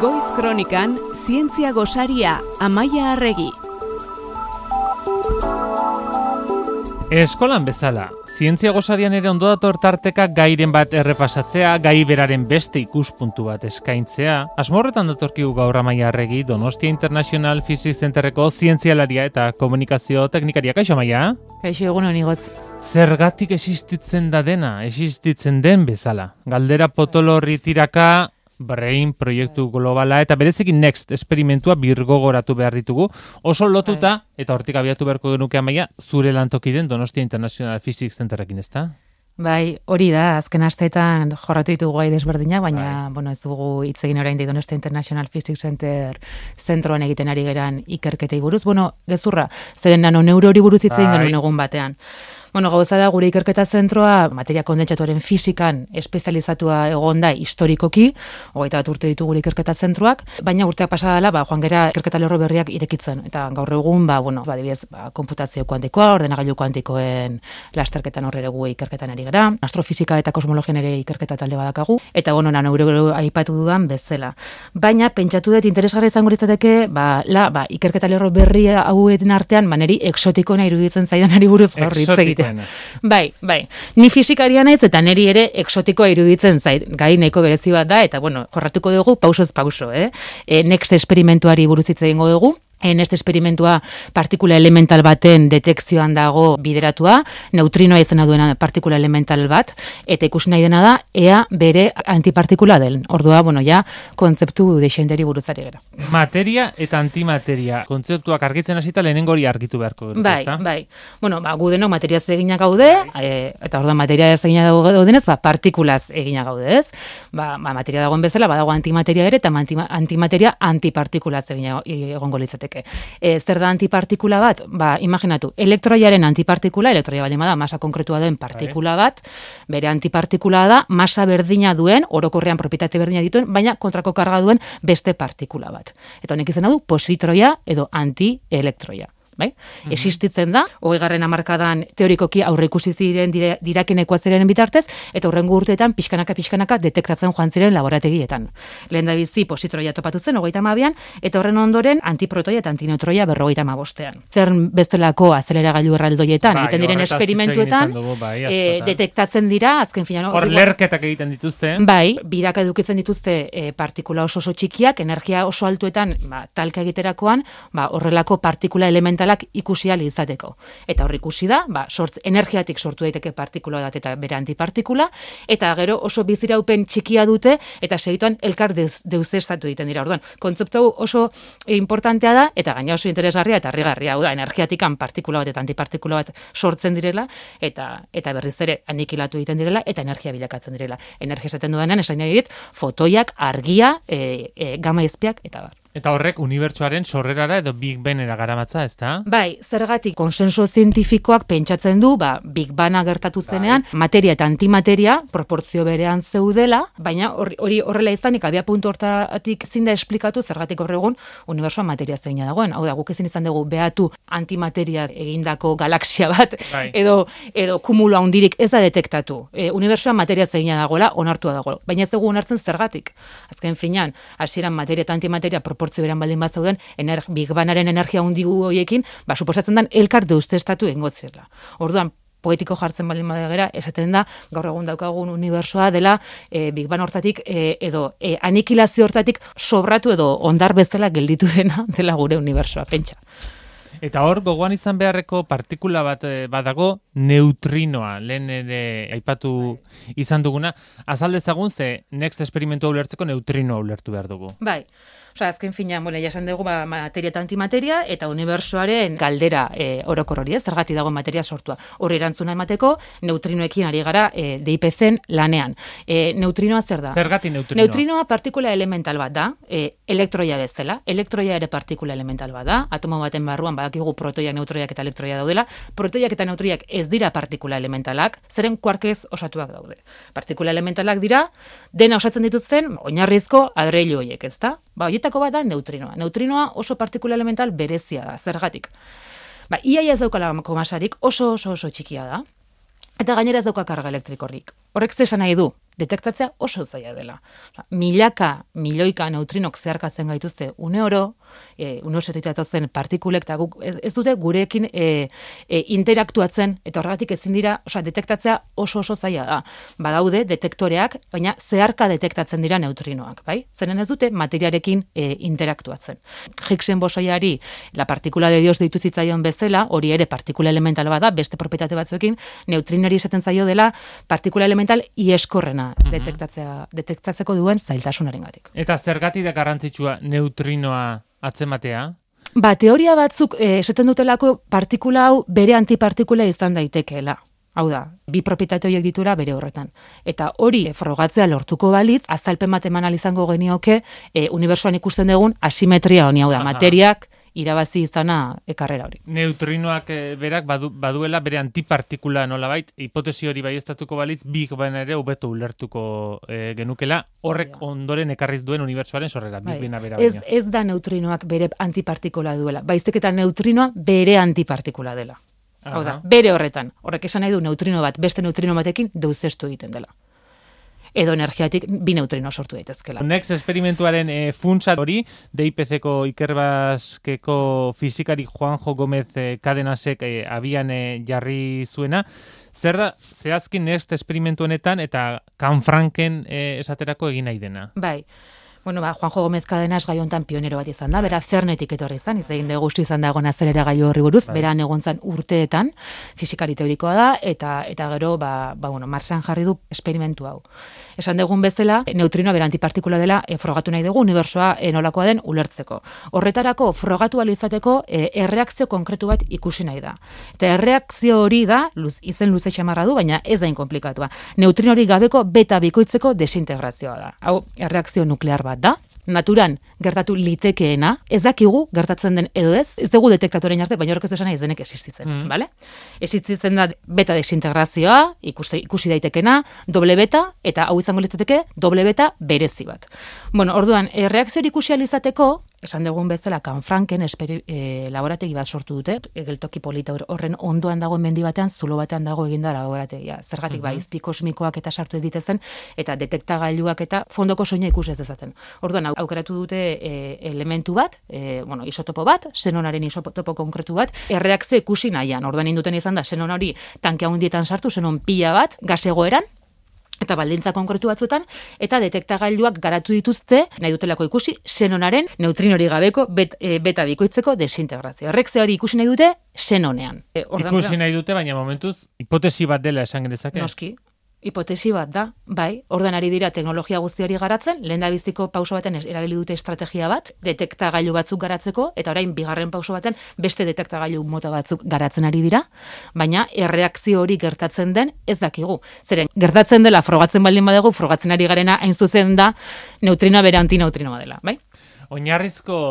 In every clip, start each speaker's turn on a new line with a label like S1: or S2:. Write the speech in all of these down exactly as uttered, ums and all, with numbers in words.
S1: Goiz Kronikan, Zientzia Gosaria, Amaia Arregi.
S2: Eskolan bezala, Zientzia Gosarian ere ondo dator tarteka gairen bat errepasatzea, gai beraren beste ikuspuntu bat eskaintzea. Asmo horretan datorkigu gaur Amaia Arregi, Donostia International Physics Centerreko zientzialaria eta komunikazio teknikaria. Kaixo, Amaia?
S3: Kaixo, egun honi gotz.
S2: Zergatik existitzen da dena, existitzen den bezala. Galdera potolo horri tiraka, Brain proiektu globala eta berezekin Next esperimentua birgogoratu behar ditugu. Oso lotuta, eta hortik abiatu beharko genuke Amaia, zure lantoki den Donostia International Physics Centerrekin, ezta?
S3: Bai, hori da, azken asteetan jorratu ditugu gai desberdinak, baina bai. bueno, ez dugu hitz egin orain Donostia International Physics Center zentroan egiten ari geran ikerketei buruz. Bueno, gezurra, zeren nano neurori buruz hitz egin genuen egun batean. Bueno, gauza da, gure ikerketa zentroa materia kondentsatuaren fizikan espezializatua egonda historikoki, hogeita bat urte ditu gure ikerketa zentroak, baina urteak pasa dela, ba, joan gera ikerketa lerro berriak irekitzen. Eta gaur egun, ba, bueno, ba, adibidez, ba, konputazio kuantikoa, ordenagailu kuantikoen lasterketan horre gu ikerketan ari gara, astrofizika eta kosmologian ere ikerketa talde badakagu, eta bueno, na neuro aipatu dudan bezala. Baina pentsatu dut interesgarri izango litzateke, ba, la, ba, ikerketa lerro berri hauetan artean, ba, neri exotikoena iruditzen zaidanari buruz gaur hitz egiten. Bai, bai. Ni fisikaria naiz eta neri ere exotikoa iruditzen zait. Gai nahiko berezi bat da eta bueno, jorratuko dugu pausoz pauso, eh? E, Next esperimentuari buruz hitz egingo dugu. En este esperimentua partikula elemental baten detekzioan dago bideratua, neutrinoa izena duena partikula elemental bat, eta ikusi nahi dena da, ea bere antipartikula den. Ordua, bueno, ja, kontzeptu deixenteri buruzari gara.
S2: Materia eta antimateria. Kontzeptuak argitzen hasita lehenengo hori argitu beharko dut,
S3: bai,
S2: ezta?
S3: Bai, bai. Bueno, ba, gu denok materia eginak gaude, e, eta orduan materia eginak daudenez, ba, partikulaz eginak gaude, ez? Ba, ba, materia dagoen bezala, badago antimateria ere, eta antimateria antipartikulaz eginak egongo litzateke. E, zer da antipartikula bat? Ba, imaginatu, elektroiaren antipartikula, elektroia baldin bada masa konkretua duen partikula bat, bere antipartikula da masa berdina duen, orokorrean propietate berdina dituen, baina kontrako karga duen beste partikula bat. Eta honek izena du positroia edo antielektroia. Bai? Mm-hmm. Existitzen da, hogeigarren hamarkadan teorikoki aurre ikusi ziren diraken ekuazioaren bitartez, eta hurrengo urteetan pixkanaka pixkanaka detektatzen joan ziren laborategietan. Lehen da bizi positroia topatu zen hogeita hamabian, eta horren ondoren antiprotoia eta antineutroia berrogeita hamabostean. Zer bestelako azeleragailu erraldoietan, egiten diren esperimentuetan,
S2: bai,
S3: e, detektatzen dira, azken finan...
S2: Hor lerketak egiten dituzte.
S3: Bai, biraka edukitzen dituzte e, partikula oso oso txikiak, energia oso altuetan, ba, talka egiterakoan, ba, horrelako partikula elemental ikusi ahal izateko. Eta hor ikusi da, ba, sortz, energiatik sortu daiteke partikula bat eta bere antipartikula, eta gero oso biziraupen txikia dute, eta segituan elkar deusestatu egiten dira. Orduan, kontzeptu oso importantea da, eta gaina oso interesgarria eta harrigarria, hau da, energiatikan partikula bat eta antipartikula bat sortzen direla, eta eta berriz ere anikilatu egiten direla, eta energia bilakatzen direla. Energia esaten dudanean, esain nahi dit, fotoiak, argia, e, e, gama izpiak, eta bar.
S2: Eta horrek unibertsuaren sorrerara edo Big Bangera garamatza, ezta?
S3: Bai, zergatik konsenso zientifikoak pentsatzen du, ba, Big Banga gertatu zenean, bai. Materia eta antimateria proportzio berean zeudela, baina hori horrela izanik abia puntu hortatik ezin da esplikatu zergatik hor egun unibertsoa materia zeina dagoen. Hau da, guk ezin izan dugu behatu antimateria egindako galaxia bat, bai. edo edo kumulo handirik ez da detektatu. E, unibertsoa materia zeina dagoela, onartua dagoela. Baina ez dugu onartzen zergatik. Azken finean, hasieran materia eta antimateria proportzio beran baldin bat zauden, ener, Big Bangaren energia hundigu horiekin, ba, suposatzen den elkar deustestatu egingo zirela. Orduan, poetiko jartzen baldin badagera, esaten da, gaur egun daukagun unibersoa dela e, Big Bang hortatik, e, edo e, anikilazio hortatik sobratu edo ondar bezala gelditu dena dela gure unibersoa, pentsa.
S2: Eta hor, gogoan izan beharreko partikula bat badago, neutrinoa, lehen ere aipatu izan duguna. Azal dezagun ze Next esperimentua ulertzeko neutrinoa ulertu behar dugu.
S3: Bai. Osa, azken fina, bueno, jasan dugu ba, materia eta antimateria, eta unibersoaren galdera e, orokor hori, ez, zergatik dago materia sortua. Horri erantzuna emateko, neutrinoekin ari gara e, D I P C-en lanean. E, neutrinoa zer da?
S2: Zergatik neutrinoa?
S3: Neutrinoa partikula elemental bat da, e, elektroia bezala. Elektroia ere partikula elemental bat da, atomo baten barruan badakigu protoiak, neutroiak eta elektroia daudela. Protoiak eta neutroiak ez dira partikula elementalak, zeren kuarkez osatuak daude. Partikula elementalak dira, dena osatzen dituzten, oinarrizko adreilu horiek, ez da? Ba, horietako bat da neutrinoa. Neutrinoa oso partikula elemental berezia da, zergatik. Ba, iaia ez daukala masarik, oso oso oso txikia da. Eta gainera ez dauka karga elektrikorik. Horrek zesan nahi du, detektatzea oso zaila dela. Milaka, milioika neutrinok zeharkatzen gaituzte une oro, e, une osoetik datozen partikulek, eta guk ez, ez dute gurekin e, e, interaktuatzen, eta horregatik ezin dira, osea, detektatzea oso oso zaila da. Badaude detektoreak, baina zeharka detektatzen dira neutrinoak, bai? Zeren ez dute materiarekin e, interaktuatzen. Higgsen bosoiari la partikula de Dios deitu zitzaion bezala, hori ere partikula elemental bada, beste propietate batzuekin, neutrinari esaten zaio dela partikula elemental ieskorrena mm-hmm. detektatzea, detektatzeko duen zailtasunarengatik.
S2: Eta zergatik da garrantzitsua neutrinoa atzematea?
S3: Ba, teoria batzuk eh, esaten dutelako partikula hau bere antipartikula izan daitekeela. Hau da, bi propietate horiek ditura bere horretan. Eta hori frogatzea lortuko balitz, azalpen bat eman izango genioke e, unibertsuan ikusten dugun asimetria honi, hau da, Aha. materiak irabazi izana ekarrera hori.
S2: Neutrinoak e, berak badu, baduela bere antipartikula nolabait, hipotesi hori baiestatuko balitz, Big Bang ere hobeto ulertuko e, genukela, horrek ja. ondoren ekarriz duen unibertsuaren sorrera, Big Bang bera
S3: ez, ez da neutrinoak bere antipartikula duela, baizik eta neutrinoa bere antipartikula dela. Hau da, bere horretan. Horrek esan nahi du neutrino bat, beste neutrino batekin deuzestu egiten dela. Edo energiatik bi neutrino sortu daitezkela.
S2: Next esperimentuaren e, funtsa hori, D I P C-ko Ikerbasqueko fizikari Juanjo Gómez e, Cadenasek e, abian e, jarri zuena. Zer da, zehazkin Next esperimentu honetan eta Canfranken e, esaterako egin nahi dena?
S3: Bai. Bueno, ba, Juanjo Gómez Cadenas gai hontan pionero bat izan da, bera Cernetik etorri izan, izan de guzti izan dagoen azelera gai horri buruz, bai. Bera negontzan urteetan, fizikari teorikoa da, eta eta gero, ba, ba bueno, Marsan jarri du esperimentu hau. Esan dugun bezala, neutrinoa bera antipartikula dela, e, frogatu nahi dugu, unibertsoa e, nolakoa den ulertzeko. Horretarako, frogatu alizateko, e, erreakzio konkretu bat ikusi nahi da. Eta erreakzio hori da, luz, izen luze txamarra du, baina ez da inkomplikatua. Neutrino hori gabeko beta bikoitzeko desintegrazioa da. Hau, erreakzio nuklear bat da, naturan gertatu litekeena, ez dakigu gertatzen den edo ez, ez dugu detektatorein arte, baina horrek ez esan ez denek existitzen, mm. bale? Existitzen da beta desintegrazioa, ikuste, ikusi daitekena, doble beta, eta hau izango litzateke, doble beta berezi bat. Bueno, orduan, e, reakzio ikusi alizateko, esan dugun bezala, Canfranken esperi, e, laborategi bat sortu dute, geltoki polita horren ondoan dagoen mendi batean, zulo batean dago eginda laborategia. Zergatik, mm-hmm. ba, izpi kosmikoak eta sartu ez ditezen, eta detektagailuak eta fondoko soina ikus ez dezaten. Orduan, aukeratu dute e, elementu bat, e, bueno, isotopo bat, xenonaren isotopo konkretu bat, erreakzio ikusi nahian. Orduan induten izan da, xenon hori tanke handietan sartu, xenon pila bat, gas egoeran, eta baldintza konkretu batzuetan, eta detektagailuak garatu dituzte, nahi dutelako ikusi, xenonaren neutrinori gabeko bet, e, beta bikoitzeko desintegrazio. Horrek ze hori ikusi nahi dute xenonean. E,
S2: ikusi nahi dute, baina momentuz, hipotesi bat dela esan genezake?
S3: Noski. Hipotesi bat da, bai, orduan ari dira teknologia guztiari garatzen, lehen da biztiko pauso baten erabili dute estrategia bat, detektagailu batzuk garatzeko, eta orain bigarren pauso baten beste detektagailu mota batzuk garatzen ari dira, baina erreakzio hori gertatzen den ez dakigu. Zeren, gertatzen dela frogatzen baldin badegu, frogatzen ari garena hain zuzen da neutrinoa bere antineutrinoa dela, bai?
S2: Oinarrizko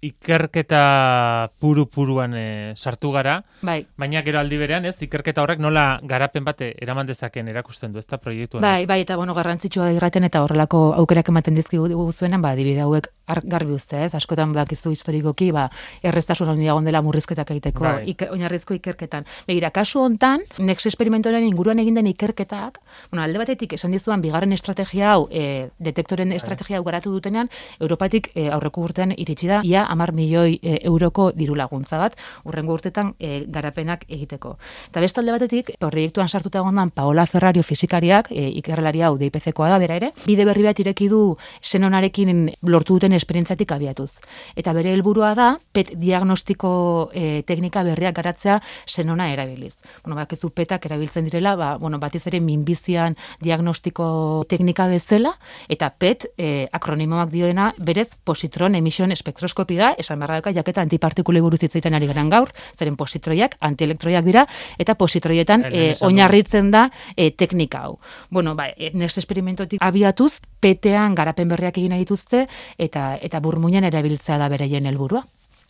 S2: ikerketa puru-puruan e, sartu gara,
S3: bai.
S2: Baina gero aldi berean, ez, ikerketa horrek nola garapen bate eraman dezaken erakusten du, ez da proiektuan.
S3: Bai, bai, eta bueno, garrantzitsua da irraten eta horrelako aukerak ematen dizkigu zuenan, ba, adibide hauek garbi uzte, ez, askotan bakizu historikoki, ba, erreztasun handiagon dela murrizketak egiteko, bai. iker, oinarrizko ikerketan. Begira, kasu hontan, Next esperimentoaren inguruan egin den ikerketak, bueno, alde batetik esan dizuan bigarren estrategia hau, e, detektoren bai. estrategia hau garatu dutenean, Europatik e, aurreko urtean iritsi da, ia hamar milioi e, euroko diru laguntza bat, urrengo urtetan e, garapenak egiteko. Eta bestalde batetik, proiektuan sartuta egondan Paola Ferrario fizikariak, e, ikerrelari hau D I P C-koa da, bera ere, bide berri bat ireki du xenonarekin lortu duten esperientziatik abiatuz. Eta bere helburua da, P E T diagnostiko e, teknika berriak garatzea xenona erabiliz. Bueno, bakizu P E T-ak erabiltzen direla, ba, bueno, batiz ere minbizian diagnostiko teknika bezala, eta P E T e, akronimoak dioena, berez positron emission spektroskopi da, esan beharra daka, jaketa antipartikulei buruz hitz egiten ari garen gaur, zeren positroiak, antielektroiak dira, eta positroietan e, oinarritzen da e, teknika hau. Bueno, ba, Next esperimentotik abiatuz, P E T-an garapen berriak egin dituzte, eta eta burmuinan erabiltzea da beraien helburua.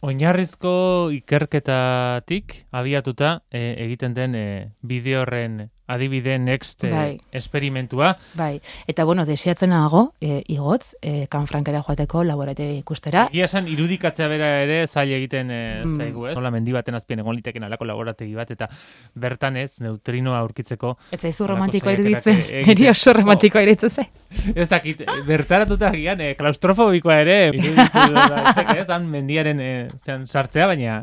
S2: Oinarrizko ikerketatik abiatuta e, egiten den e, bideo horren adibide next
S3: bai.
S2: esperimentua.
S3: Bai, eta bueno, deseatzen nago, e, igotz, e, Kanfrankera joateko laborategi ikustera.
S2: Egia esan, irudikatzea bera ere zaila egiten e,
S3: Mm.
S2: zaigu, ez? Nola mendi baten azpien egon liteken alako laborategi bat, eta bertan ez, neutrinoa aurkitzeko.
S3: Ez zaizu
S2: halako
S3: romantikoa
S2: saiakerak
S3: iruditzen,
S2: egiten.
S3: niri oso romantikoa iruditzen ze.
S2: Ez dakit, bertaratuta gian, e, klaustrofobikoa ere, iruditu daiteke, ez, han mendiaren e, zean sartzea, baina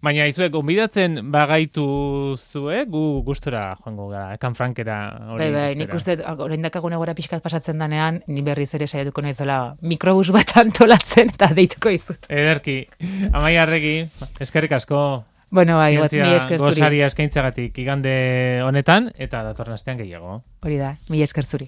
S2: baina izuek, onbidatzen bagaitu zue, gu gustora joango gara, Kanfrankera hori
S3: Bai, bai,
S2: ikustera.
S3: nik uste, orain dakagune gora pixkat pasatzen danean, ni berriz ere saiatuko naizela mikrobus bat antolatzen eta deituko izut.
S2: Ederki, Amaia Arregi, eskerrik asko.
S3: Bueno, bai, gotz, mi
S2: Zientzia
S3: esker zuri.
S2: gosaria eskaintzagatik igande honetan, eta datorren astean gehiago.
S3: Hori da, mi esker zuri.